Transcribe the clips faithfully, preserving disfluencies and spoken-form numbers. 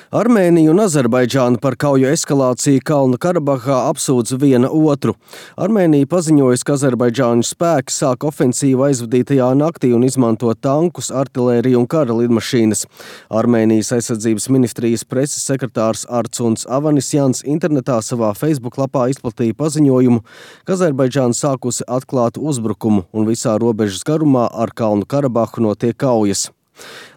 Armēnija un Azerbaidžāna par kauju eskalāciju Kalnu Karabahā apsūdz viena otru. Armēnija paziņojusi, ka Azerbaidžāņu spēki sāk ofensīvu aizvadītajā naktī un izmanto tankus, artilēriju un kara lidmašīnas. Armēnijas aizsardzības ministrijas preses sekretārs Artsuns Avanisjans internetā savā Facebook lapā izplatīja paziņojumu, ka Azerbaidžāna sākusi atklāt uzbrukumu un visā robežas garumā ar Kalnu Karabahu notiek kaujas.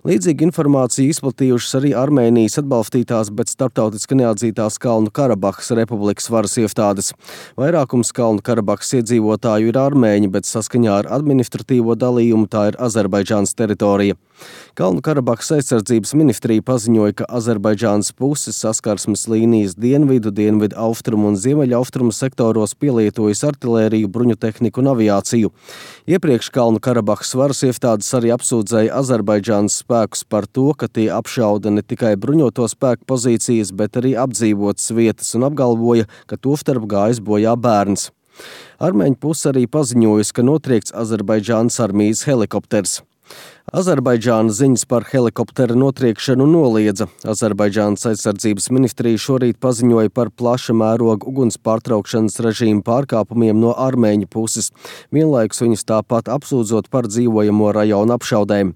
Līdzīgu informāciju izplatījušas arī Armēnijas atbalstītās, bet starptautiski neatzītās Kalnu Karabahas republikas varas iestādes. Vairākums Kalnu Karabahas iedzīvotāju ir armēņi, bet saskaņā ar administratīvo dalījumu tā ir Azerbaidžānas teritorija. Kalnu Karabahas aizsardzības ministrija paziņoja, ka Azerbaidžānas puses saskarsmes līnijas dienvidu, dienvidu austrumu un ziemeļu austrumu sektoros pielietojas artilēriju, bruņutehniku un aviāciju. Iepriekš Kalnu Karabahas varas iestādes arī apsūdzēja Azerbaidžānas spēkus par to, ka tie apšauda ne tikai bruņoto spēku pozīcijas, bet arī apdzīvotas vietas un apgalvoja, ka tostarp gājis bojā bērns. Armēņu puse arī paziņojusi, ka notriekts Azerbaidžānas armijas helikopters. Azerbaidžāna ziņas par helikoptera notriekšanu noliedza. Azerbaidžānas aizsardzības ministrija šorīt paziņoja par plaša mēroga uguns pārtraukšanas režīmu pārkāpumiem no armēņu puses, vienlaikus viņus tāpat apsūdzot par dzīvojamo rajonu apšaudēm.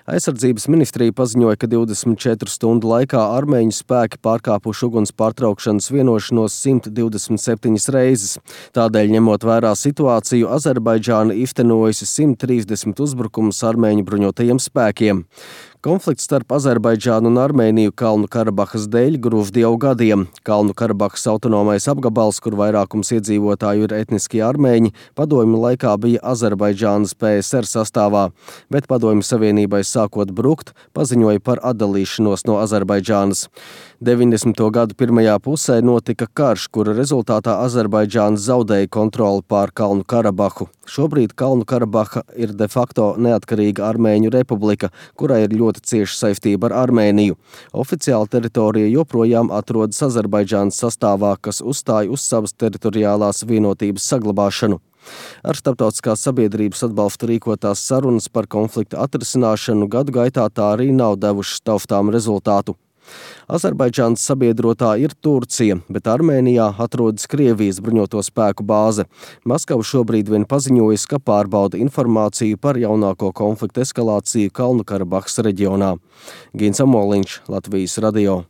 Aizsardzības ministrija paziņoja, ka divdesmit četru stundu laikā armēņu spēki pārkāpuši uguns pārtraukšanas vienošanos simt divdesmit septiņas reizes. Tādēļ, ņemot vērā situāciju, Azerbaidžāna iztenojusi simt trīsdesmit uzbrukumus armēņu bruņotajiem spēkiem. Konflikts starp Azerbaidžānu un Armēniju Kalnu Karabahas dēļ grūst jau gadiem. Kalnu Karabahas autonomais apgabals, kur vairākums iedzīvotāju ir etniskie armēņi, padomju laikā bija Azerbaidžānas P S R sastāvā, bet padomju savienībai sākot brukt, paziņoja par atdalīšanos no Azerbaidžānas. deviņdesmito gadu pirmajā pusē notika karš, kura rezultātā Azerbaidžāna zaudēja kontroli pār Kalnu Karabahu. Šobrīd Kalnu Karabaha ir de facto neatkarīga Armēņu republika, kurai ir ļoti cieša saistība ar Armēniju. Oficiāli teritorija joprojām atrodas Azerbaidžānas sastāvā, kas uzstāja uz savas teritoriālās vienotības saglabāšanu. Ar starptautiskās sabiedrības atbalstu rīkotās sarunas par konflikta atrisināšanu gadu gaitā tā arī nav devušas taustām rezultātu. Azerbaidžānas sabiedrotā ir Turcija, bet Armēnijā atrodas Krievijas bruņoto spēku bāze. Maskava šobrīd vien paziņojas, ka pārbauda informāciju par jaunāko konflikta eskalāciju Kalnu Karabahas reģionā. Gins Amoliņš, Latvijas radio.